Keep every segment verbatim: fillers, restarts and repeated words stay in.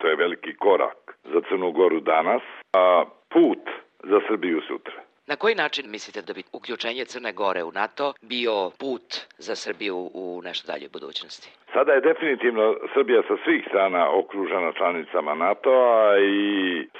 To je veliki korak za Crnu Goru danas, a put za Srbiju sutra. Na koji način mislite da bi uključenje Crne Gore u NATO bio put za Srbiju u nešto dalje budućnosti? Sada je definitivno Srbija sa svih strana okružena članicama NATO-a i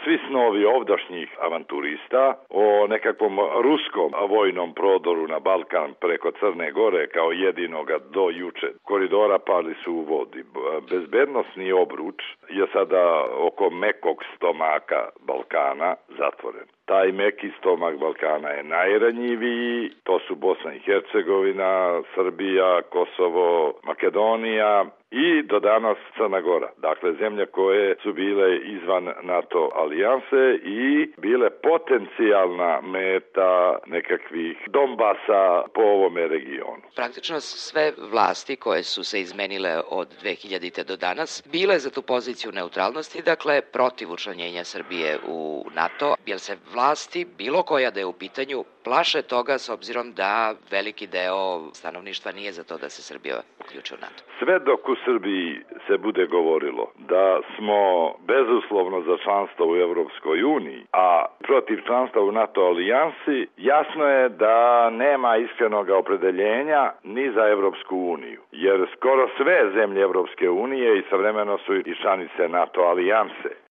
svi snovi ovdašnjih avanturista o nekakvom ruskom vojnom prodoru na Balkan preko Crne Gore kao jedinoga do juče koridora pali su u vodi. Bezbednosni obruč je sada oko mekog stomaka Balkana zatvoren. Taj meki stomak Balkana je najranjiviji, to su Bosna i Hercegovina, Srbija, Kosovo, Makedonija i do danas Crna Gora. Dakle, zemlje koje su bile izvan NATO alijanse i bile potencijalna meta nekakvih Donbasa po ovome regionu. Praktično sve vlasti koje su se izmenile od dve hiljadite do danas bile za tu poziciju neutralnosti, dakle protiv učlanjenja Srbije u NATO, jer se vlasti, bilo koja da je u pitanju, plaše toga s obzirom da veliki deo stanovništva nije za to da se Srbija uključi u NATO. Sve dok u Srbiji se bude govorilo da smo bezuslovno za članstvo u Evropskoj uniji, a protiv članstva u NATO alijansi, jasno je da nema iskrenog opredeljenja ni za Evropsku uniju, jer skoro sve zemlje Evropske unije istovremeno su i članice NATO alijanse.